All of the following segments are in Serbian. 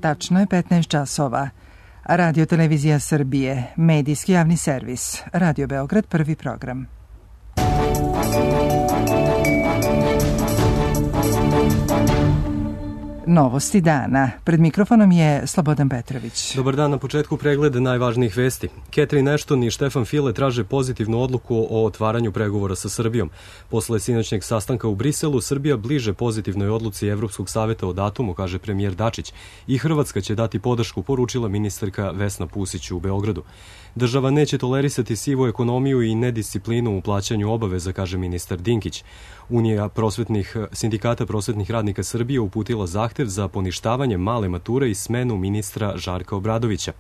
Tačno je 15 časova. Radio Televizija Srbije, medijski javni servis. Radio Beograd, prvi program. Novosti dana. Pred mikrofonom je Slobodan Petrović. Dobar dan, na početku pregled najvažnijih vesti. Catherine Ashton i Štefan File traže pozitivnu odluku o otvaranju pregovora sa Srbijom. Posle sinoćnjeg sastanka u Briselu, Srbija bliže pozitivnoj odluci Evropskog saveta o datumu, kaže premijer Dačić. I Hrvatska će dati podršku, poručila ministarka Vesna Pusić u Beogradu. Država neće tolerisati sivu ekonomiju i nedisciplinu u plaćanju obaveza, kaže ministar Dinkić. Unija sindikata prosvetnih radnika Srbije uputila zahtev za poništavanje male mature i smenu ministra Žarka Obradovića.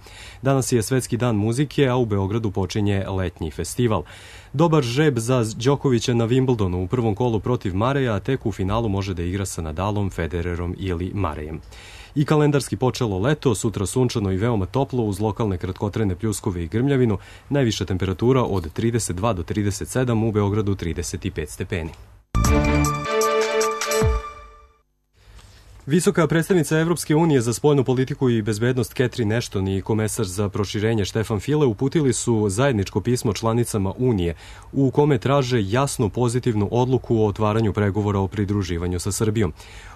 Danas je Svetski dan muzike, a u Beogradu počinje letnji festival. Dobar žreb za Đokovića na Wimbledonu u prvom kolu protiv Mareja, a tek u finalu može da igra sa Nadalom, Federerom ili Marejem. I kalendarski počelo leto, sutra sunčano i veoma toplo uz lokalne kratkotrajne pljuskove i grmljavinu, najviša temperatura od 32 do 37, u Beogradu 35 stepeni. Visoka predstavnica Evropske unije za spoljnu politiku i bezbednost Catherine Ashton i komesar za proširenje Štefan File uputili su zajedničko pismo članicama Unije u kome traže jasnu pozitivnu odluku o otvaranju pregovora o pridruživanju sa Srbijom.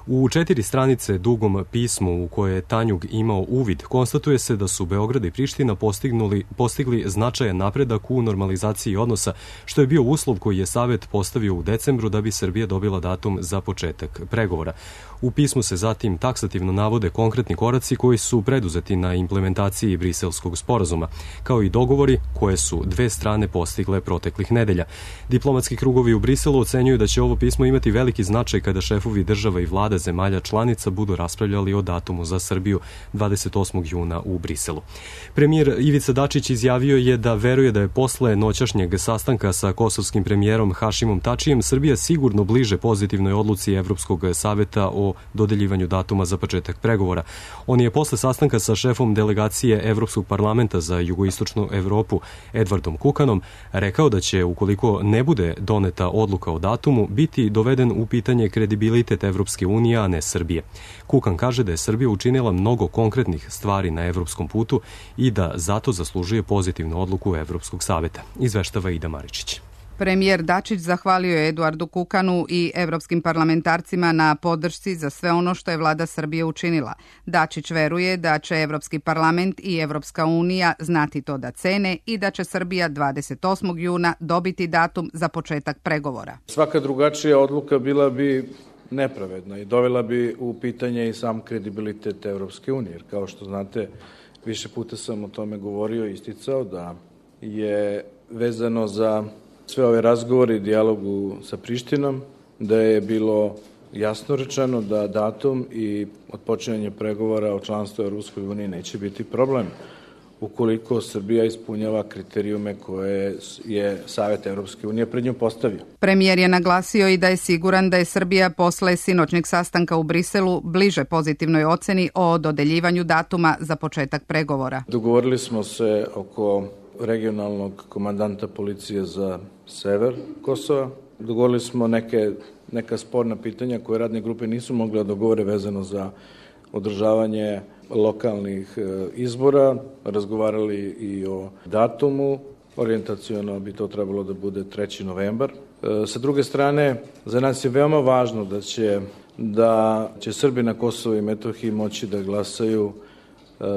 U 4 stranice dugom pismu u koje je Tanjug imao uvid, konstatuje se da su Beograd i Priština postigli značajan napredak u normalizaciji odnosa, što je bio uslov koji je Savet postavio u decembru da bi Srbija dobila datum za početak pregovora. U pismu se zatim taksativno navode konkretni koraci koji su preduzeti na implementaciji Briselskog sporazuma, kao i dogovori koje su dve strane postigle proteklih nedelja. Diplomatski krugovi u Briselu ocenjuju da će ovo pismo imati veliki značaj kada šefovi država i vlada zemalja članica budu raspravljali o datumu za Srbiju 28. juna u Briselu. Premijer Ivica Dačić izjavio je da veruje da je posle noćašnjeg sastanka sa kosovskim premijerom Hašimom Tačijem Srbija sigurno bliže pozitivnoj odluci Evropskog saveta o dodeljivanju datuma za početak pregovora. On je posle sastanka sa šefom delegacije Evropskog parlamenta za jugoistočnu Evropu Edvardom Kukanom rekao da će, ukoliko ne bude doneta odluka o datumu, biti doveden u pitanje kredibilitet Evropske unije, a ne Srbije. Kukan kaže da je Srbija učinila mnogo konkretnih stvari na evropskom putu i da zato zaslužuje pozitivnu odluku Evropskog saveta, izveštava Ida Maričić. Premijer Dačić zahvalio je Eduardu Kukanu i evropskim parlamentarcima na podršci za sve ono što je vlada Srbije učinila. Dačić veruje da će Evropski parlament i Evropska unija znati to da cene i da će Srbija 28. juna dobiti datum za početak pregovora. Svaka drugačija odluka bila bi nepravedna i dovela bi u pitanje i sam kredibilitet Evropske unije. Jer kao što znate, više puta sam o tome govorio i isticao da je vezano za sve ove razgovore i dijalogu sa Prištinom, da je bilo jasno rečeno da datum i otpočinjanje pregovora o članstvu Evropskoj uniji neće biti problem ukoliko Srbija ispunjava kriterijume koje je Savet Evropske unije pred njom postavio. Premijer je naglasio i da je siguran da je Srbija posle sinoćnjeg sastanka u Briselu bliže pozitivnoj oceni o dodeljivanju datuma za početak pregovora. Dogovorili smo se oko regionalnog komandanta policije za sever Kosova. Dogovorili smo neka sporna pitanja koje radne grupe nisu mogle da dogovore vezano za održavanje lokalnih izbora, razgovarali i o datumu, orijentaciono bi to trebalo da bude 3. novembar. Sa druge strane, za nas je veoma važno da će Srbi na Kosovu i Metohiji moći da glasaju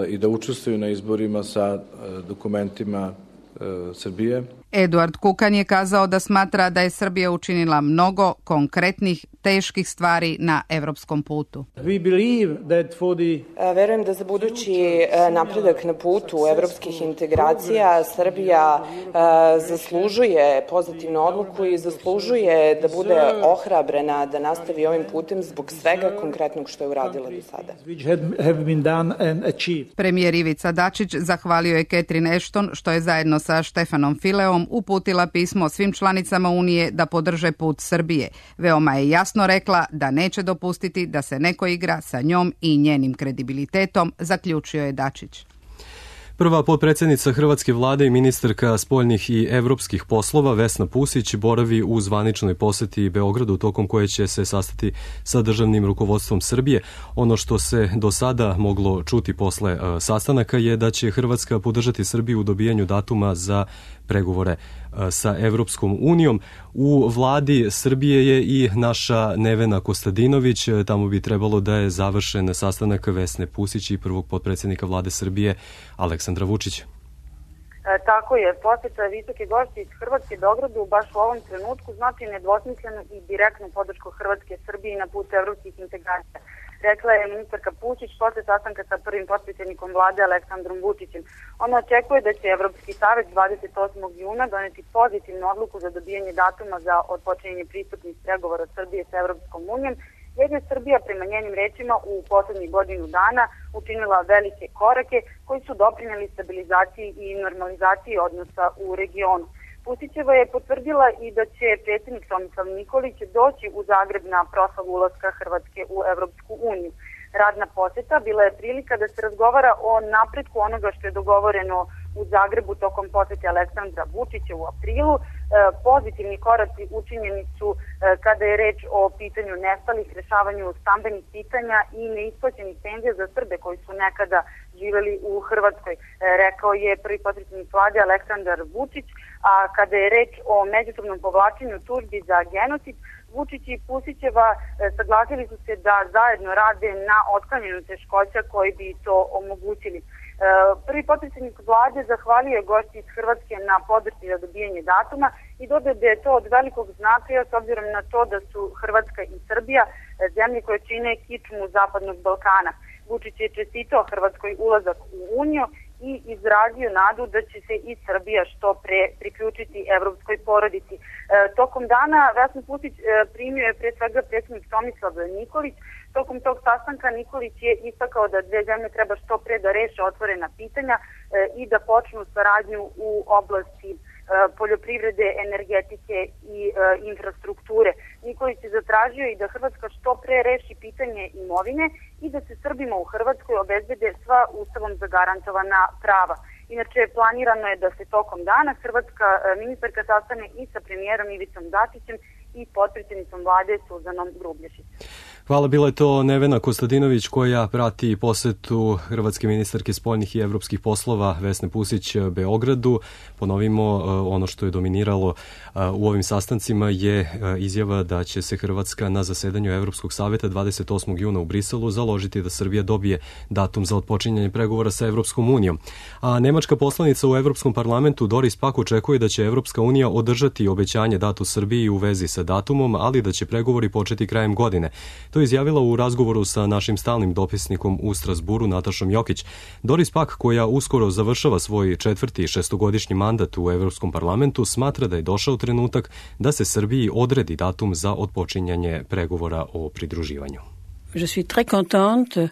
i da učestvuju na izborima sa dokumentima Srbije. Eduard Kukan je kazao da smatra da je Srbija učinila mnogo konkretnih, teških stvari na evropskom putu. Verujem da za budući napredak na putu evropskih integracija Srbija zaslužuje pozitivnu odluku i zaslužuje da bude ohrabrena da nastavi ovim putem zbog svega konkretnog što je uradila do sada. Premijer Ivica Dačić zahvalio je Catherine Ashton što je zajedno sa Štefanom Fileom uputila pismo svim članicama Unije da podrže put Srbije. Veoma je jasno rekla da neće dopustiti da se neko igra sa njom i njenim kredibilitetom, zaključio je Dačić. Prva potpredsjednica Hrvatske vlade i ministarka spoljnih i evropskih poslova Vesna Pusić boravi u zvaničnoj poseti Beogradu tokom koje će se sastati sa državnim rukovodstvom Srbije. Ono što se do sada moglo čuti posle sastanaka je da će Hrvatska podržati Srbiju u dobijanju datuma za pregovore sa Evropskom unijom. U vladi Srbije je i naša Nevena Kostadinović. Tamo bi trebalo da je završen sastanak Vesne Pusić i prvog potpredsjednika vlade Srbije Aleksandra Vučića. Tako je, poseta visoke gošće iz Hrvatske Beogradu baš u ovom trenutku znači nedvosmislenu i direktnu podršku Hrvatske Srbiji na putu evropskih integracija. Rekla je ministarka Pusić posle sastanka sa prvim potpredsjednikom vlade Aleksandrom Vučićem. Ona očekuje da će Evropski savet 28. juna doneti pozitivnu odluku za dobijanje datuma za otpočinjanje pristupnih pregovora Srbije sa Evropskom unijom, jer je Srbija prema njenim rečima u poslednjih godinu dana učinila velike korake koji su doprineli stabilizaciji i normalizaciji odnosa u regionu. Pusićeva je potvrdila i da će predsjednik Tomislav Nikolić doći u Zagreb na proslavu ulaska Hrvatske u Evropsku uniju. Radna poseta bila je prilika da se razgovara o napretku onoga što je dogovoreno u Zagrebu tokom posete Aleksandra Vučića u aprilu. Pozitivni koraci učinjeni su kada je reč o pitanju nestalih, rešavanju stambenih pitanja i neisplaćenih penzija za Srbe koji su nekada živeli u Hrvatskoj, rekao je prvi potpredsjednik vlade Aleksandar Vučić, a kada je reč o međusobnom povlačenju tužbi za genocid, Vučić i Pusićeva saglasili su se da zajedno rade na otklanjanju teškoća koji bi to omogućili. Prvi potpredsjednik vlade zahvalio gošći iz Hrvatske na podršci za dobijanje datuma i dodao da je to od velikog značaja s obzirom na to da su Hrvatska i Srbija zemlje koje čine kičmu Zapadnog Balkana. Vučić je čestitao Hrvatskoj ulazak u Uniju i izrazio nadu da će se i Srbija što pre priključiti evropskoj porodici. Tokom dana Vesnu Pusić primio je pre svega predsjednik Tomislav Nikolić. Tokom tog sastanka Nikolić je istakao da dve zemlje treba što pre da reše otvorena pitanja i da počnu saradnju u oblasti poljoprivrede, energetike i infrastrukture. Nikolić je zatražio i da Hrvatska što pre reši pitanje imovine i da se Srbima u Hrvatskoj obezbede sva ustavom zagarantovana prava. Inače, planirano je da se tokom dana hrvatska ministarka sastane i sa premijerom Ivicom Dačićem i potpredsjednicom vlade Suzanom Grublješicom. Hvala, bila je to Nevena Kostadinović koja prati posetu hrvatske ministarke spoljnih i evropskih poslova Vesne Pusić Beogradu. Ponovimo, ono što je dominiralo u ovim sastancima je izjava da će se Hrvatska na zasedanju Evropskog saveta 28. juna u Briselu založiti da Srbija dobije datum za otpočinjanje pregovora sa Evropskom unijom. A nemačka poslanica u Evropskom parlamentu Doris Pack očekuje da će Evropska unija održati obećanje dato Srbiji u vezi sa datumom, ali da će pregovori početi krajem godine. To je izjavila u razgovoru sa našim stalnim dopisnikom u Strasburu Natašom Jokić. Doris Pack, koja uskoro završava svoj četvrti šestogodišnji mandat u Evropskom parlamentu, smatra da je došao trenutak da se Srbiji odredi datum za otpočinjanje pregovora o pridruživanju. Je suis très contente.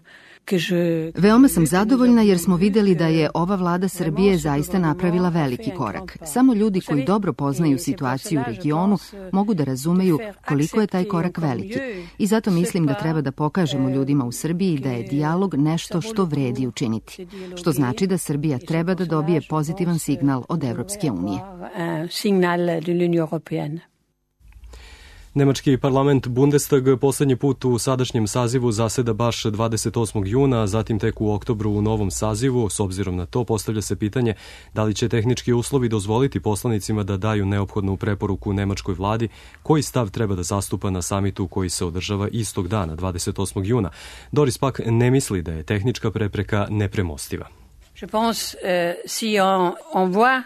Veoma sam zadovoljna jer smo videli da je ova vlada Srbije zaista napravila veliki korak. Samo ljudi koji dobro poznaju situaciju u regionu mogu da razumeju koliko je taj korak veliki. I zato mislim da treba da pokažemo ljudima u Srbiji da je dijalog nešto što vredi učiniti. Što znači da Srbija treba da dobije pozitivan signal od Evropske unije. Nemački parlament Bundestag poslednji put u sadašnjem sazivu zaseda baš 28. juna, a zatim tek u oktobru u novom sazivu. S obzirom na to postavlja se pitanje da li će tehnički uslovi dozvoliti poslanicima da daju neophodnu preporuku nemačkoj vladi koji stav treba da zastupa na samitu koji se održava istog dana, 28. juna. Doris Pack ne misli da je tehnička prepreka nepremostiva. Je pense si on voit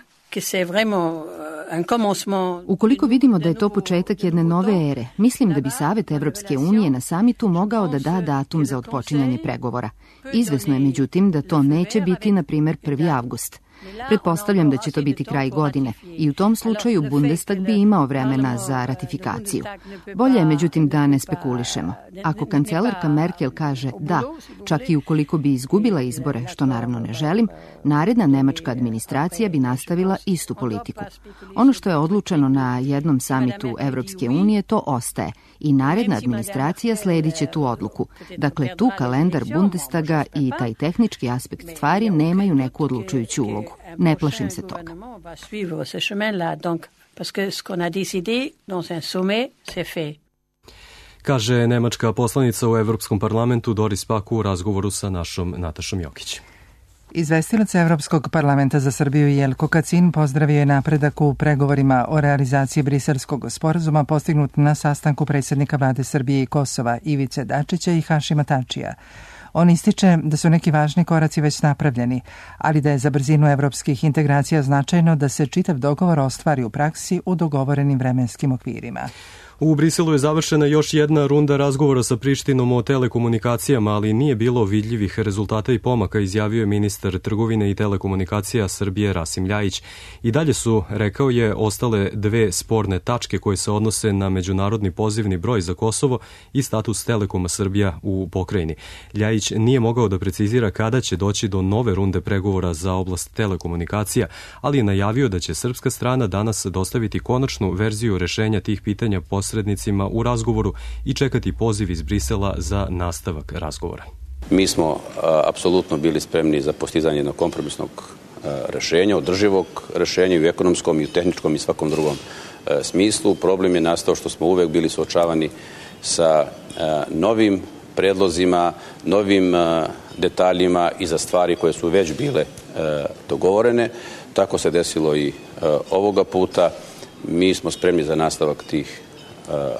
Ukoliko vidimo da je to početak jedne nove ere, mislim da bi Savet Evropske unije na samitu mogao da da datum za otpočinjanje pregovora. Izvesno je međutim da to neće biti, na primjer, 1. avgust. Pretpostavljam da će to biti kraj godine i u tom slučaju Bundestag bi imao vremena za ratifikaciju. Bolje je međutim da ne spekulišemo. Ako kancelarka Merkel kaže da, čak i ukoliko bi izgubila izbore, što naravno ne želim, naredna nemačka administracija bi nastavila istu politiku. Ono što je odlučeno na jednom samitu Evropske unije, to ostaje i naredna administracija sledit će tu odluku. Dakle, tu kalendar Bundestaga i taj tehnički aspekt stvari nemaju neku odlučujuću ulogu. Ne plašim se toga. Kaže nemačka poslanica u Evropskom parlamentu Doris Pack u razgovoru sa našom Natašom Jokić. Izvestilac Evropskog parlamenta za Srbiju Jelko Kacin pozdravio je napredak u pregovorima o realizaciji Briselskog sporazuma postignut na sastanku predsjednika vlade Srbije i Kosova Ivice Dačića i Hašima Tačija. On ističe da su neki važni koraci već napravljeni, ali da je za brzinu evropskih integracija značajno da se čitav dogovor ostvari u praksi u dogovorenim vremenskim okvirima. U Briselu je završena još jedna runda razgovora sa Prištinom o telekomunikacijama, ali nije bilo vidljivih rezultata i pomaka, izjavio je ministar trgovine i telekomunikacija Srbije Rasim Ljajić. I dalje su, rekao je, ostale dve sporne tačke koje se odnose na međunarodni pozivni broj za Kosovo i status Telekoma Srbija u pokrajini. Ljajić nije mogao da precizira kada će doći do nove runde pregovora za oblast telekomunikacija, ali je najavio da će srpska strana danas dostaviti konačnu verziju rešenja tih pitanja posrednicima u razgovoru i čekati poziv iz Brisela za nastavak razgovora. Mi smo apsolutno bili spremni za postizanje jednog kompromisnog rešenja, održivog rešenja i u ekonomskom i u tehničkom i svakom drugom smislu. Problem je nastao što smo uvek bili suočavani sa novim predlozima, novim detaljima i za stvari koje su već bile dogovorene. Tako se desilo i ovoga puta. Mi smo spremni za nastavak tih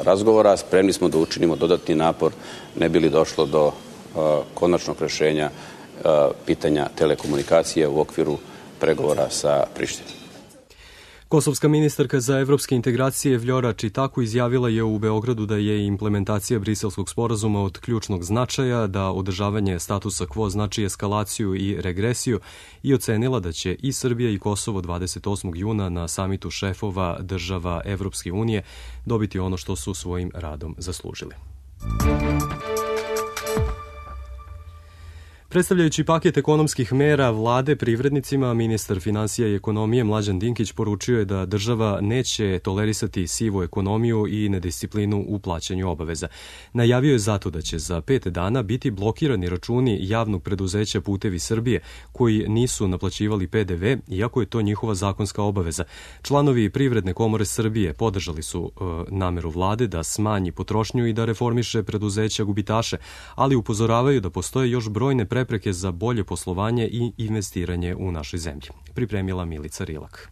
razgovora, spremni smo da učinimo dodatni napor, ne bi li došlo do konačnog rešenja pitanja telekomunikacije u okviru pregovora sa Prištinom. Kosovska ministarka za evropske integracije Vljora Čitaku izjavila je u Beogradu da je implementacija Briselskog sporazuma od ključnog značaja, da održavanje statusa quo znači eskalaciju i regresiju i ocenila da će i Srbija i Kosovo 28. juna na samitu šefova država Evropske unije dobiti ono što su svojim radom zaslužili. Predstavljajući paket ekonomskih mera vlade privrednicima, ministar finansija i ekonomije Mlađan Dinkić poručio je da država neće tolerisati sivu ekonomiju i nedisciplinu u plaćanju obaveza. Najavio je zato da će za 5 dana biti blokirani računi javnog preduzeća Putevi Srbije koji nisu naplaćivali PDV, iako je to njihova zakonska obaveza. Članovi Privredne komore Srbije podržali su nameru vlade da smanji potrošnju i da reformiše preduzeća gubitaše, ali upozoravaju da postoje još brojne prepreke za bolje poslovanje i investiranje u našoj zemlji. Pripremila Milica Rilak.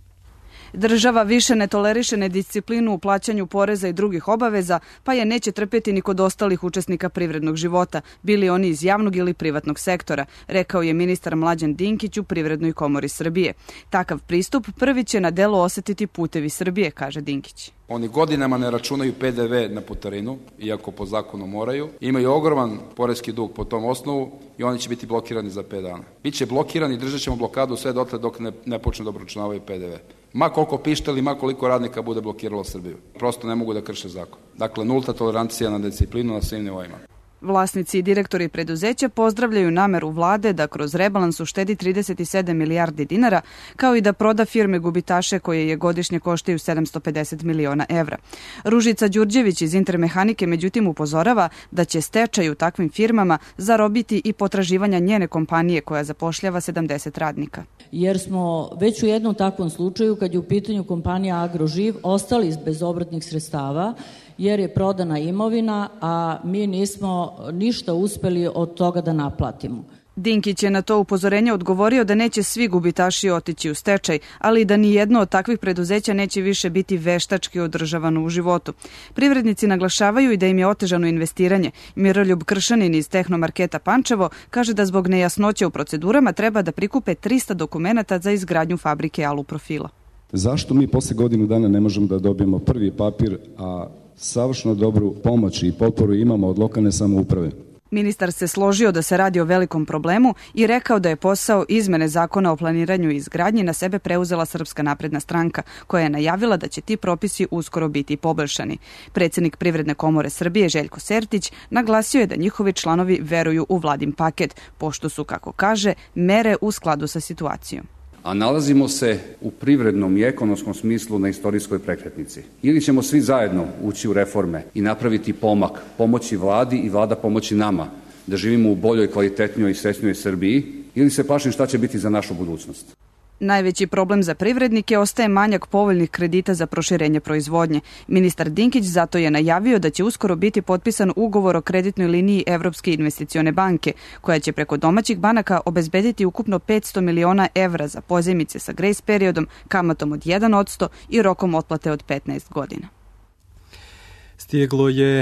Država više ne toleriše nedisciplinu u plaćanju poreza i drugih obaveza, pa je neće trpeti ni kod ostalih učesnika privrednog života, bili oni iz javnog ili privatnog sektora, rekao je ministar Mlađan Dinkić u Privrednoj komori Srbije. Takav pristup prvi će na delu osetiti Putevi Srbije, kaže Dinkić. Oni godinama ne računaju PDV na putarinu, iako po zakonu moraju. Imaju ogroman poreski dug po tom osnovu i oni će biti blokirani za 5 dana. Biće blokirani, držat ćemo blokadu sve dotle dok ne počne da obračunavaju PDV. Ma koliko pištali, ma koliko radnika bude blokiralo Srbiju. Prosto ne mogu da krše zakon. Dakle, nulta tolerancija na disciplinu na svim nivoima. Vlasnici i direktori preduzeća pozdravljaju nameru vlade da kroz rebalans uštedi 37 milijardi dinara, kao i da proda firme gubitaše koje je godišnje koštaju 750 miliona evra. Ružica Đurđević iz Intermehanike međutim upozorava da će stečaj u takvim firmama zarobiti i potraživanja njene kompanije koja zapošljava 70 radnika. Jer smo već u jednom takvom slučaju, kad je u pitanju kompanija Agroživ, ostali bez obrtnih sredstava, jer je prodana imovina, a mi nismo ništa uspeli od toga da naplatimo. Dinkić je na to upozorenje odgovorio da neće svi gubitaši otići u stečaj, ali da ni jedno od takvih preduzeća neće više biti veštački održavano u životu. Privrednici naglašavaju i da im je otežano investiranje. Miroljub Kršanin iz Tehnomarketa Pančevo kaže da zbog nejasnoće u procedurama treba da prikupe 300 dokumenata za izgradnju fabrike aluprofila. Zašto mi posle godinu dana ne možemo da dobijemo prvi papir, a savršeno dobru pomoć i potporu imamo od lokalne samouprave? Ministar se složio da se radi o velikom problemu i rekao da je posao izmene zakona o planiranju i izgradnji na sebe preuzela Srpska napredna stranka, koja je najavila da će ti propisi uskoro biti poboljšani. Predsjednik Privredne komore Srbije Željko Sertić naglasio je da njihovi članovi veruju u vladin paket, pošto su, kako kaže, mere u skladu sa situacijom. A nalazimo se u privrednom i ekonomskom smislu na istorijskoj prekretnici. Ili ćemo svi zajedno ući u reforme i napraviti pomak, pomoći vladi i vlada pomoći nama da živimo u boljoj, kvalitetnijoj i srećnijoj Srbiji, ili se plašim šta će biti za našu budućnost. Najveći problem za privrednike ostaje manjak povoljnih kredita za proširenje proizvodnje. Ministar Dinkić zato je najavio da će uskoro biti potpisan ugovor o kreditnoj liniji Evropske investicione banke, koja će preko domaćih banaka obezbediti ukupno 500 miliona evra za pozajmice sa grace periodom, kamatom od 1% i rokom otplate od 15 godina.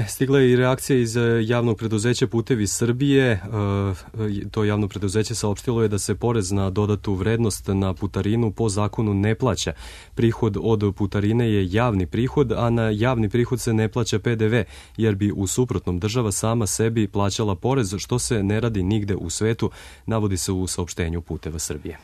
Stigla je i reakcija iz javnog preduzeća Putevi Srbije. To javno preduzeće saopštilo je da se porez na dodatu vrednost na putarinu po zakonu ne plaća. Prihod od putarine je javni prihod, a na javni prihod se ne plaća PDV, jer bi u suprotnom država sama sebi plaćala porez, što se ne radi nigde u svetu, navodi se u saopštenju Puteva Srbije.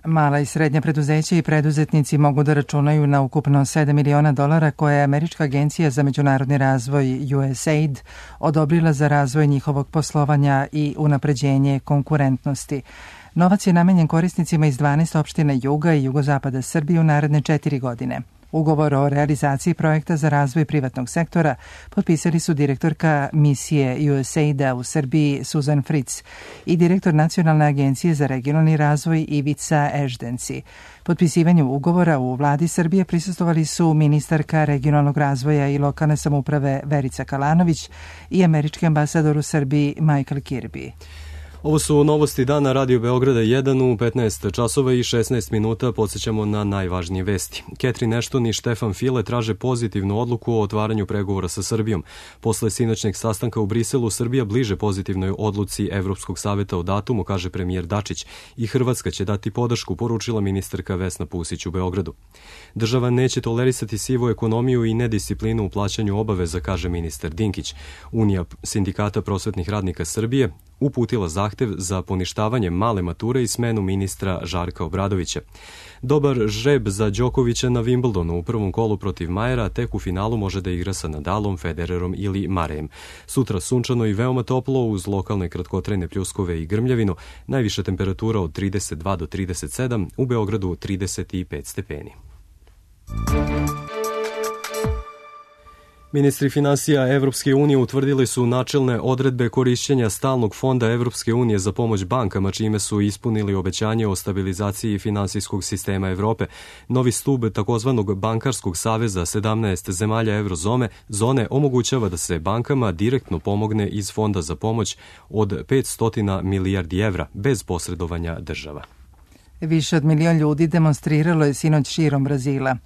Mala i srednja preduzeća i preduzetnici mogu da računaju na ukupno $7 miliona koje je Američka agencija za međunarodni razvoj USAID odobrila za razvoj njihovog poslovanja i unapređenje konkurentnosti. Novac je namenjen korisnicima iz 12 opština juga i jugozapada Srbije u naredne 4 godine. Ugovor o realizaciji projekta za razvoj privatnog sektora potpisali su direktorka misije USAID-a u Srbiji Susan Fritz i direktor Nacionalne agencije za regionalni razvoj Ivica Eždenci. Potpisivanju ugovora u vladi Srbije prisustvovali su ministarka regionalnog razvoja i lokalne samouprave Verica Kalanović i američki ambasador u Srbiji Michael Kirby. Ovo su novosti dana Radio Beograda 1 u 15 časova i 16 minuta. Podsjećamo na najvažnije vesti. Catherine Ashton i Štefan File traže pozitivnu odluku o otvaranju pregovora sa Srbijom. Posle sinoćnjeg sastanka u Briselu, Srbija bliže pozitivnoj odluci Evropskog saveta o datumu, kaže premijer Dačić, i Hrvatska će dati podršku, poručila ministarka Vesna Pusić u Beogradu. Država neće tolerisati sivu ekonomiju i nedisciplinu u plaćanju obaveza, kaže ministar Dinkić. Unija sindikata prosvetnih radnika Srbije uputila zahtev za poništavanje male mature i smenu ministra Žarka Obradovića. Dobar žreb za Đokovića na Wimbledonu u prvom kolu protiv Majera, tek u finalu može da igra sa Nadalom, Federerom ili Marejem. Sutra sunčano i veoma toplo uz lokalne kratkotrajne pljuskove i grmljavinu, najviša temperatura od 32 do 37, u Beogradu 35 stepeni. Ministri finansija Evropske unije utvrdili su načelne odredbe korišćenja stalnog fonda Evropske unije za pomoć bankama, čime su ispunili obećanje o stabilizaciji finansijskog sistema Evrope. Novi stub takozvanog bankarskog saveza 17 zemalja eurozone omogućava da se bankama direktno pomogne iz fonda za pomoć od 500 milijardi evra, bez posredovanja država. Više od 1 milion ljudi demonstriralo je sinoć širom Brazila.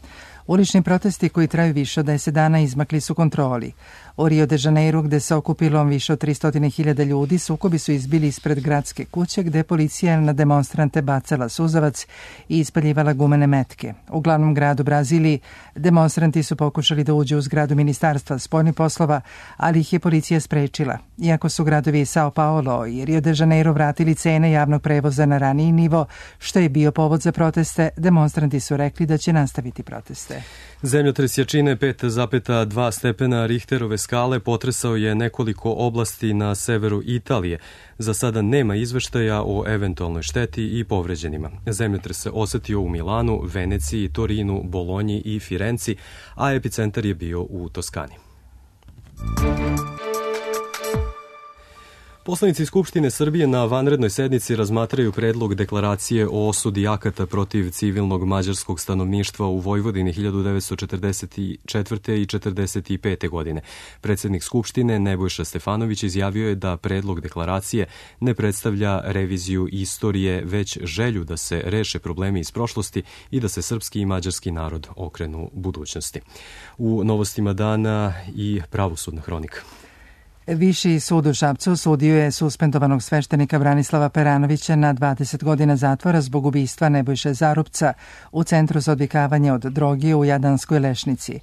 Ulični protesti koji traju više od 10 dana izmakli su kontroli. U Rio de Janeiru, gde se okupilo više od 300.000 ljudi, sukobi su izbili ispred gradske kuće, gde policija na demonstrante bacala suzavac i ispaljivala gumene metke. U glavnom gradu Braziliji demonstranti su pokušali da uđu u zgradu Ministarstva spoljnih poslova, ali ih je policija sprečila. Iako su gradovi Sao Paulo i Rio de Janeiro vratili cene javnog prevoza na raniji nivo, što je bio povod za proteste, demonstranti su rekli da će nastaviti proteste. Zemljotres jačine 5,2 stepena Richterove skale potresao je nekoliko oblasti na severu Italije. Za sada nema izveštaja o eventualnoj šteti i povređenima. Zemljotres se osetio u Milanu, Veneciji, Torinu, Bolonji i Firenci, a epicentar je bio u Toskani. Poslanici Skupštine Srbije na vanrednoj sednici razmatraju predlog deklaracije o osudi akata protiv civilnog mađarskog stanovništva u Vojvodini 1944. i 1945. godine. Predsjednik Skupštine Nebojša Stefanović izjavio je da predlog deklaracije ne predstavlja reviziju istorije, već želju da se reše problemi iz prošlosti i da se srpski i mađarski narod okrenu budućnosti. U novostima dana i pravosudna hronika. Viši sud u Šapcu osudio je suspendovanog sveštenika Branislava Peranovića na 20 godina zatvora zbog ubistva Nebojše Zarupca u Centru za odvikavanje od droge u Jadanskoj Lešnici.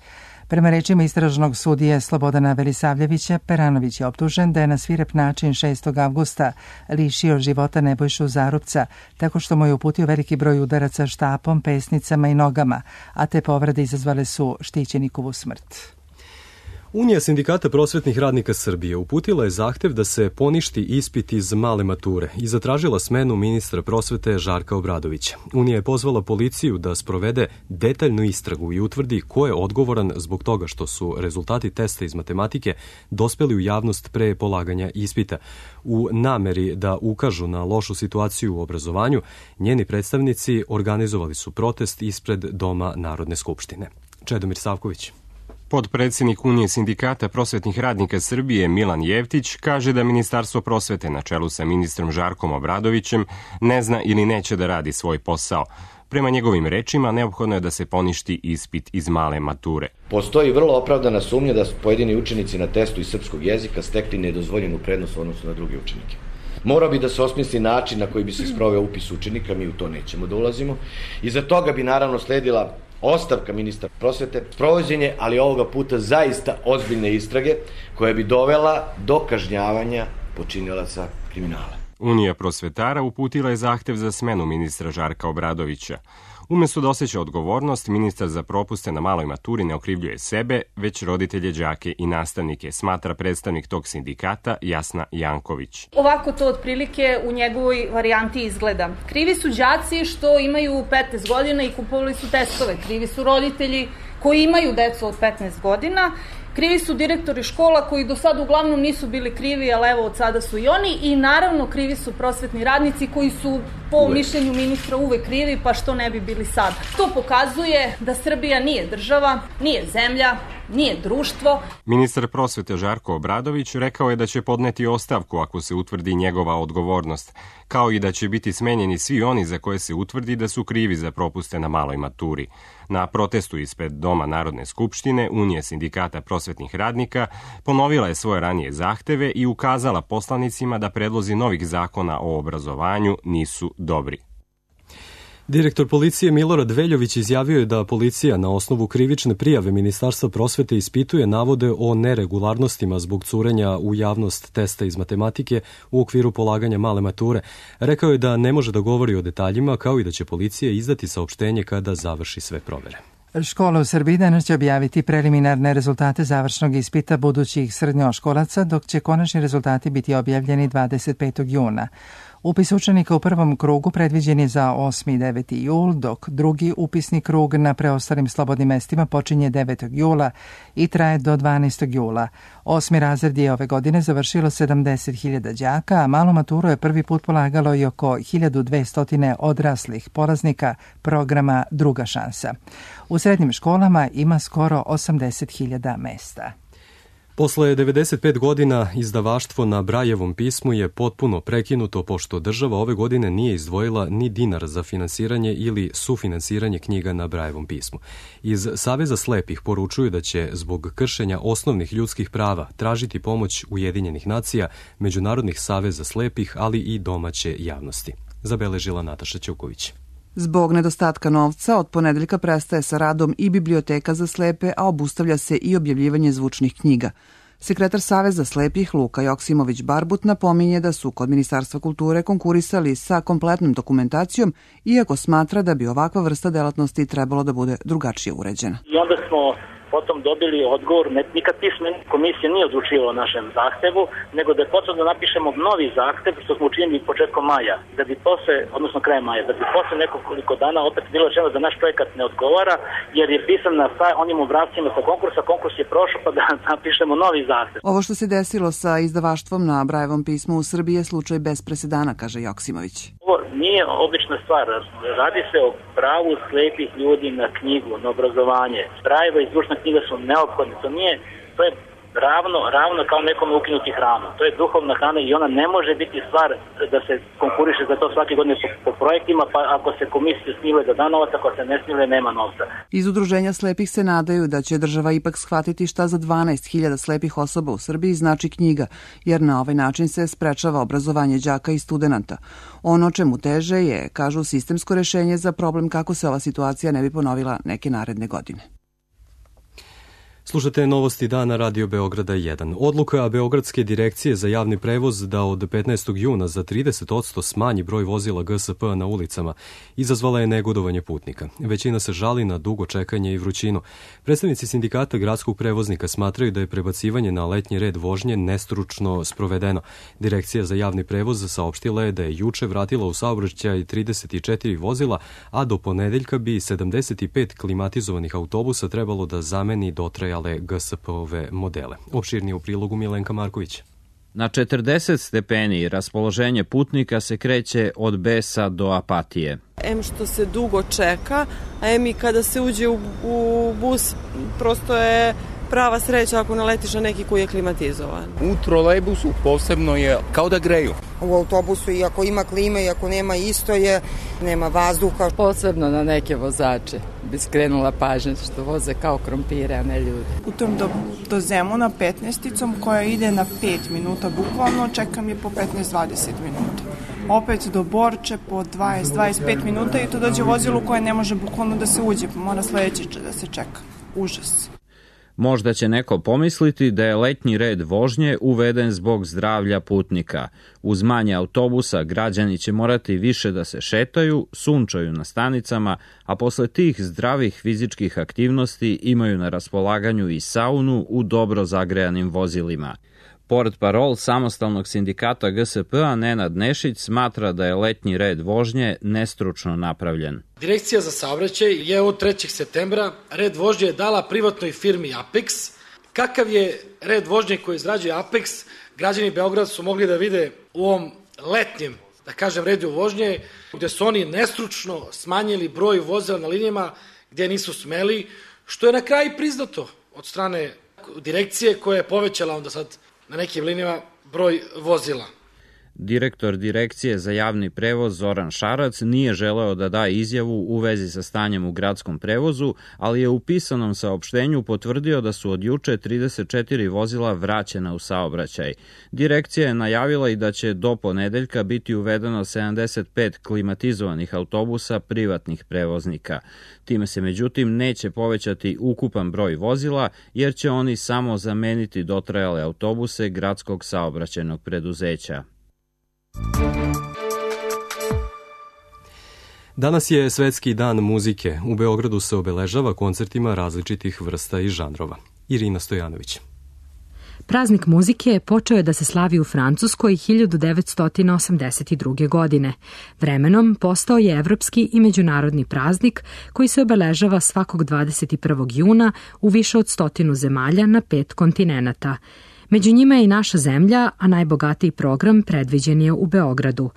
Prema rečima istražnog sudije Slobodana Velisavljevića, Peranović je optužen da je na svirep način 6. avgusta lišio života Nebojšu Zarupca, tako što mu je uputio veliki broj udaraca štapom, pesnicama i nogama, a te povrede izazvale su štićenikovu smrt. Unija sindikata prosvetnih radnika Srbije uputila je zahtev da se poništi ispit iz male mature i zatražila smenu ministra prosvete Žarka Obradovića. Unija je pozvala policiju da sprovede detaljnu istragu i utvrdi ko je odgovoran zbog toga što su rezultati testa iz matematike dospeli u javnost pre polaganja ispita. U nameri da ukažu na lošu situaciju u obrazovanju, njeni predstavnici organizovali su protest ispred Doma Narodne skupštine. Čedomir Savković. Podpredsednik Unije sindikata prosvetnih radnika Srbije Milan Jevtić kaže da Ministarstvo prosvete na čelu sa ministrom Žarkom Obradovićem ne zna ili neće da radi svoj posao. Prema njegovim rečima, neophodno je da se poništi ispit iz male mature. Postoji vrlo opravdana sumnja da su pojedini učenici na testu iz srpskog jezika stekli nedozvoljenu prednost u odnosu na druge učenike. Morao bi da se osmisli način na koji bi se sproveo upis učenika, mi u to nećemo da ulazimo. Iza toga bi naravno sledila ostavka ministra prosvete, sprovođenje, ali ovoga puta zaista ozbiljne istrage koja bi dovela do kažnjavanja počinilaca kriminala. Unija prosvetara uputila je zahtev za smenu ministra Žarka Obradovića. Umesto da osjeća odgovornost, ministar za propuste na maloj maturi ne okrivljuje sebe, već roditelje, đake i nastavnike, smatra predstavnik tog sindikata Jasna Janković. Ovako to otprilike u njegovoj varijanti izgleda. Krivi su đaci što imaju 15 godina i kupovali su testove. Krivi su roditelji koji imaju decu od 15 godina. Krivi su direktori škola koji do sada uglavnom nisu bili krivi, ali evo od sada su i oni. I naravno krivi su prosvetni radnici koji su po mišljenju ministra uvek krivi, pa što ne bi bili sada. To pokazuje da Srbija nije država, nije zemlja, nije društvo. Ministar prosvete Žarko Obradović rekao je da će podneti ostavku ako se utvrdi njegova odgovornost, kao i da će biti smenjeni svi oni za koje se utvrdi da su krivi za propuste na maloj maturi. Na protestu ispred Doma Narodne skupštine Unija sindikata prosvetnih radnika ponovila je svoje ranije zahteve i ukazala poslanicima da predlozi novih zakona o obrazovanju nisu dobri. Direktor policije Milorad Veljović izjavio je da policija na osnovu krivične prijave Ministarstva prosvete ispituje navode o neregularnostima zbog curenja u javnost testa iz matematike u okviru polaganja male mature. Rekao je da ne može da govori o detaljima, kao i da će policija izdati saopštenje kada završi sve provere. Škola u Srbiji danas će objaviti preliminarne rezultate završnog ispita budućih srednjoškolaca, dok će konačni rezultati biti objavljeni 25. juna. Upis učenika u prvom krugu predviđen je za 8. i 9. jul, dok drugi upisni krug na preostalim slobodnim mestima počinje 9. jula i traje do 12. jula. 8. razred je ove godine završilo 70.000 đaka, a malu maturu je prvi put polagalo i oko 1200 odraslih polaznika programa Druga šansa. U srednjim školama ima skoro 80.000 mesta. Posle 95 godina izdavaštvo na Brajevom pismu je potpuno prekinuto pošto država ove godine nije izdvojila ni dinar za finansiranje ili sufinansiranje knjiga na Brajevom pismu. Iz Saveza slepih poručuju da će zbog kršenja osnovnih ljudskih prava tražiti pomoć Ujedinjenih nacija, međunarodnih saveza slepih, ali i domaće javnosti. Zabeležila Nataša Ćuković. Zbog nedostatka novca, od ponedeljka prestaje sa radom i biblioteka za slepe, a obustavlja se i objavljivanje zvučnih knjiga. Sekretar Saveza slepih Luka Joksimović-Barbut napominje da su kod Ministarstva kulture konkurisali sa kompletnom dokumentacijom, iako smatra da bi ovakva vrsta delatnosti trebalo da bude drugačije uređena. I onda smo potom dobili odgovor, nikad pismena komisija nije odlučivala o našem zahtevu, nego da je potrebno da napišemo novi zahtev, što smo učinili početkom maja, da bi posle, odnosno krajem maja, da bi posle nekoliko dana opet bilo rečeno da naš projekat ne odgovara, jer je pisan na onim obrascima sa konkursa, konkurs je prošao, pa da napišemo novi zahtev. Ovo što se desilo sa izdavaštvom na Brajevom pismu u Srbiji je slučaj bez presedana, kaže Joksimović. Ovo nije obična stvar, radi se o pravu slepih ljudi na knjigu, na obrazovanje. Brajeva i zvučna knjiga su neophodne, to je ravno kao nekom ukinuti hranu. To je duhovna hrana i ona ne može biti stvar da se konkuriše za to svake godine po projektima, pa ako se komisije smile da da novac, ako se ne smile nema novca. Iz udruženja slepih se nadaju da će država ipak shvatiti šta za 12.000 slepih osoba u Srbiji znači knjiga, jer na ovaj način se sprečava obrazovanje đaka i studenata. Ono čemu teže je, kažu, sistemsko rešenje za problem kako se ova situacija ne bi ponovila neke naredne godine. Slušate novosti dana Radio Beograda 1. Odluka Beogradske direkcije za javni prevoz da od 15. juna za 30% smanji broj vozila GSP na ulicama izazvala je negodovanje putnika. Većina se žali na dugo čekanje i vrućinu. Predstavnici sindikata gradskog prevoznika smatraju da je prebacivanje na letnji red vožnje nestručno sprovedeno. Direkcija za javni prevoz saopštila je da je juče vratila u saobraćaj 34 vozila, a do ponedeljka bi 75 klimatizovanih autobusa trebalo da zameni dotrajale GSP-ove modele. Opširnije u prilogu Milenka Marković. Na 40 stepeni raspoloženje putnika se kreće od besa do apatije. Em što se dugo čeka, a em i kada se uđe u bus, prosto je prava sreća ako naletiš na neki koji je klimatizovan. U trolejbusu posebno je kao da greju. U autobusu i ako ima klime i ako nema isto je, nema vazduha. Posebno na neke vozače bi skrenula pažnju što voze kao krompire, a ne ljudi. Putujem do Zemuna 15-icom koja ide na 5 minuta bukvalno, čekam je po 15-20 minuta. Opet do Borče po 20-25 minuta i to dođe vozilo koje ne može bukvalno da se uđe, pa mora sledeći da se čeka. Užas. Možda će neko pomisliti da je letnji red vožnje uveden zbog zdravlja putnika. Uz manje autobusa građani će morati više da se šetaju, sunčaju na stanicama, a posle tih zdravih fizičkih aktivnosti imaju na raspolaganju i saunu u dobro zagrejanim vozilima. Portparol samostalnog sindikata GSP-a Nenad Nešić smatra da je letnji red vožnje nestručno napravljen. Direkcija za saobraćaj je od 3. septembra red vožnje dala privatnoj firmi Apex. Kakav je red vožnje koji izrađuje Apex, građani Beograda su mogli da vide u ovom letnjem, da kažem, redu vožnje, gde su oni nestručno smanjili broj vozila na linijama gde nisu smeli, što je na kraju priznato od strane direkcije koja je povećala onda sad na nekim linijama broj vozila. Direktor Direkcije za javni prevoz Zoran Šarac nije želeo da da izjavu u vezi sa stanjem u gradskom prevozu, ali je u pisanom saopštenju potvrdio da su od juče 34 vozila vraćena u saobraćaj. Direkcija je najavila i da će do ponedeljka biti uvedeno 75 klimatizovanih autobusa privatnih prevoznika. Time se međutim neće povećati ukupan broj vozila, jer će oni samo zameniti dotrajale autobuse gradskog saobraćajnog preduzeća. Danas je Svetski dan muzike. U Beogradu se obeležava koncertima različitih vrsta i žanrova. Irina Stojanović. Praznik muzike počeo je da se slavi u Francuskoj 1982. godine. Vremenom postao je evropski i međunarodni praznik koji se obeležava svakog 21. juna u više od 100 zemalja na 5 kontinenata. Među njima je i naša zemlja, a najbogatiji program predviđen je u Beogradu.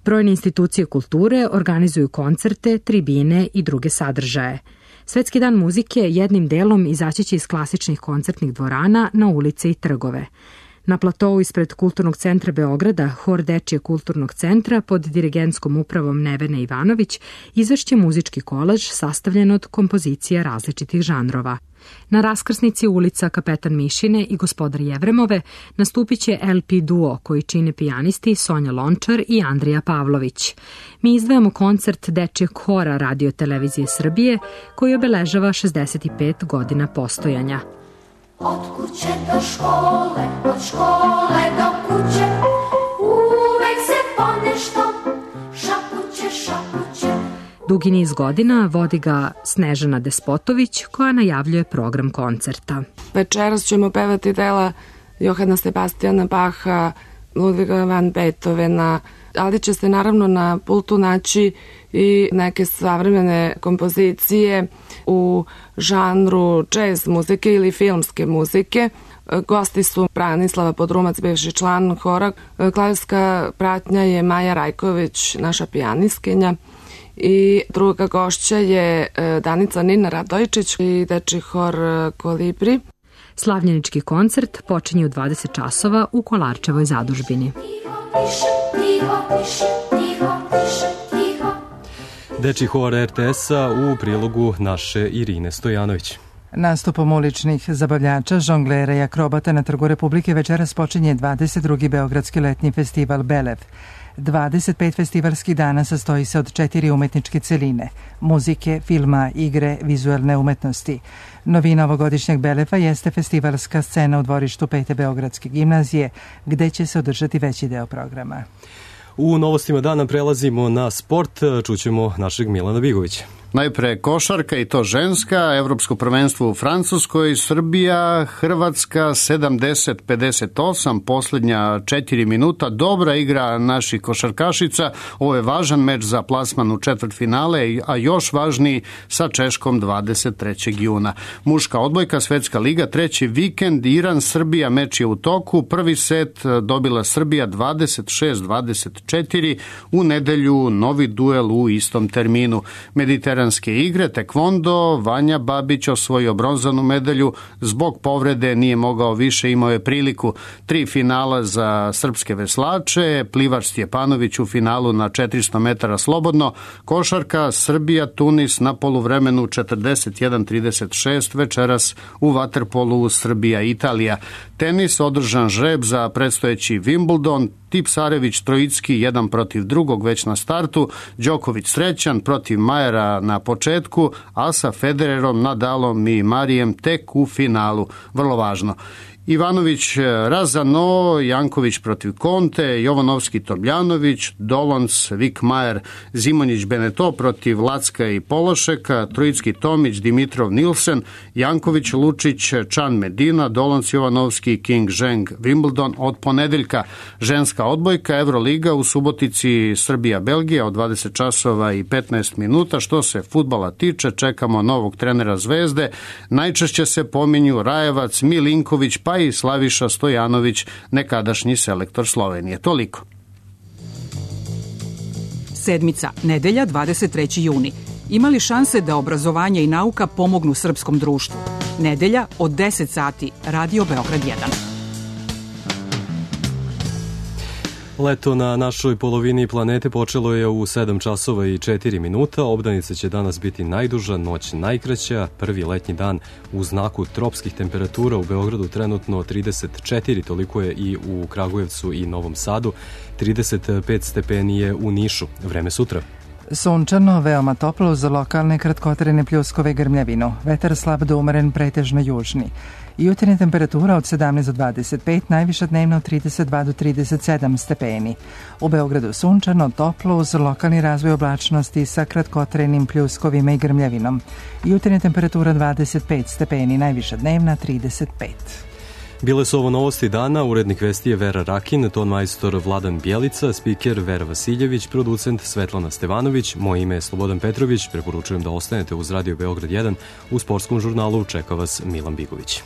Brojne institucije kulture organizuju koncerte, tribine i druge sadržaje. Svetski dan muzike jednim delom izaći će iz klasičnih koncertnih dvorana na ulice i trgove. Na platovu ispred Kulturnog centra Beograda, hor Dečijeg kulturnog centra pod dirigentskom upravom Nevene Ivanović izvešće muzički kolaž sastavljen od kompozicija različitih žanrova. Na raskrsnici ulica Kapetan Mišine i Gospodar Jevremove nastupit će LP duo koji čine pijanisti Sonja Lončar i Andrija Pavlović. Mi izdvajamo koncert Dečijeg hora Radio Televizije Srbije koji obeležava 65 godina postojanja. Od kuće do škole, od škole do kuće, uvek se ponešto šapuće, šapuće. Dugi niz godina vodi ga Snežana Despotović koja najavljuje program koncerta. Večeras ćemo pevati dela Johana Sebastiana Bacha, Ludviga van Beethovena, ali će se naravno na pultu naći i neke savremene kompozicije u žanru jazz muzike ili filmske muzike. Gosti su Branislava Podrumac, bivši član hora. Klavirska pratnja je Maja Rajković, naša pijaniskinja. I druga gošća je Danica Nina Radojičić i Dečiji hor Kolibri. Slavljenički koncert počinje u 20 časova u Kolarčevoj zadužbini. Dečiji hor RTS-a u prilogu naše Irine Stojanović. Nastupom uličnih zabavljača, žonglera i akrobata na Trgu Republike večeras počinje 22. Beogradski letnji festival Belev. 25 festivalskih dana sastoji se od 4 umetničke celine, muzike, filma, igre, vizualne umetnosti. Novina ovogodišnjeg Beleva jeste festivalska scena u dvorištu 5. Beogradske gimnazije, gde će se održati veći deo programa. U novostima dana prelazimo na sport, čućemo našeg Milana Bigovića. Najpre košarka i to ženska, Evropsko prvenstvo u Francuskoj, Srbija, Hrvatska 70-58, posljednja 4 minuta, dobra igra naših košarkašica, ovo je važan meč za plasman u četvrtfinale, a još važniji sa Češkom 23. juna. Muška odbojka, Svetska liga, treći vikend, Iran-Srbija, meč je u toku, prvi set dobila Srbija 26-24, u nedelju novi duel u istom terminu. Mediteranske igre, tekvondo, Vanja Babić osvojio bronzanu medalju, zbog povrede nije mogao više, imao je priliku. 3 finala za srpske veslače, plivač Stjepanović u finalu na 400 metara slobodno, košarka Srbija, Tunis na poluvremenu 41-36, večeras u vaterpolu Srbija, Italija. Tenis, održan žreb za predstojeći Wimbledon, Tipsarević, Trojicki, jedan protiv drugog već na startu, Đoković srećan protiv Majera na početku, a sa Federerom, Nadalom i Marijem tek u finalu. Vrlo važno. Ivanović Razano, Janković protiv Konte, Jovanovski Tomljanović, Dolons, Vikmajer, Zimonjić Beneto protiv Lacka i Pološeka, Trojicki Tomić, Dimitrov Nilsen, Janković Lučić, Čan Medina, Dolons Jovanovski, King Zheng, Wimbledon od ponedeljka. Ženska odbojka, Euroliga u Subotici, Srbija, Belgija od 20 časova i 15 minuta. Što se fudbala tiče, čekamo novog trenera Zvezde. Najčešće se pominju Rajevac, Milinković, pa i Slaviša Stojanović, nekadašnji selektor Slovenije. Toliko. Sedmica, nedelja, 23. juni. Ima li šanse da obrazovanje i nauka pomognu srpskom društvu? Nedelja od 10 sati, Radio Beograd 1. Leto na našoj polovini planete počelo je u 7 časova i 4 minuta. Obdanica će danas biti najduža, noć najkraća. Prvi letnji dan u znaku tropskih temperatura u Beogradu trenutno 34, toliko je i u Kragujevcu i Novom Sadu. 35 stepeni je u Nišu. Vreme sutra. Sunčano, veoma toplo uz lokalne kratkotrajne pljuskove i grmljavinu. Vetar slab do umeren, pretežno južni. Jutarnja temperatura od 17 do 25, najviša dnevno od 32 do 37 stepeni. U Beogradu sunčano, toplo uz lokalni razvoj oblačnosti sa kratkotrajnim pljuskovima i grmljavinom. Jutarnja temperatura 25 stepeni, najviša dnevna 35. Bile su ovo novosti dana, urednik vesti je Vera Rakin, ton majstor Vladan Bjelica, spiker Vera Vasiljević, producent Svetlana Stevanović, moje ime je Slobodan Petrović, preporučujem da ostanete uz Radio Beograd 1, u sportskom žurnalu čeka vas Milan Bigović.